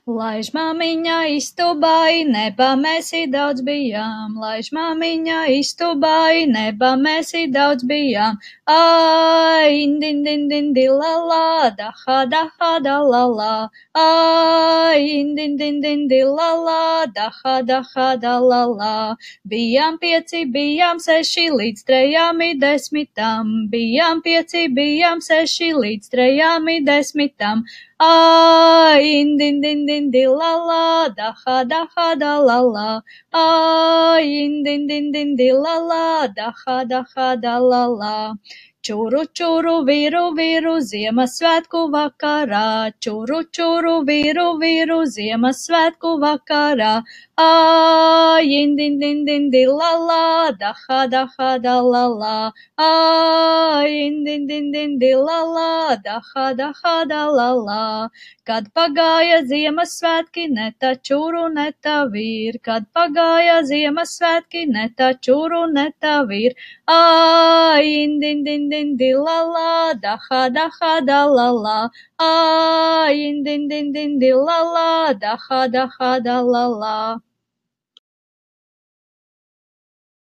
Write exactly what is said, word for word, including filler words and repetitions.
Laiž māmiņa istubā, nebā mēs daudz bijām. Laiž māmiņa istubā, nebā mēs daudz bijām. Ai, indin, din, din, di, la, la, da, ha, da, ha, da, la, la. Ai, indin, din, din, di, la, la, da, ha, da, ha, da, la, la. Bijām pieci, bijām seši, līdz trejām i desmitam. Bijām pieci, bijām seši, līdz trejām i desmitam. Ai, indin, din, din, di, la, la, da, ha, da, ha, da, la, la. Ai, indin, din, din, di, la, la, da, ha, da, ha, da, la, la. Čuru, čuru, viru, viru, Ziemassvētku vakarā. Čuru, čuru, viru, viru, Ziemassvētku vakarā. Ai, indin, din, din, di, la, la, da, ha, da, ha, da, la, la. Ai, indin, din, din, di, la, la, da, ha, da, ha, da, la, la. Kad pagāja Ziemassvētki, ne tā čuru, ne tā vīr. Kad pagāja Ziemassvētki, ne tā čuru, ne tā vīr. Ai, indin, din, din, di, la, la, da, ha, da, ha, da, la, la. Ai, indin, din, din, di, la, la, da, ha, da, ha, da, la, la.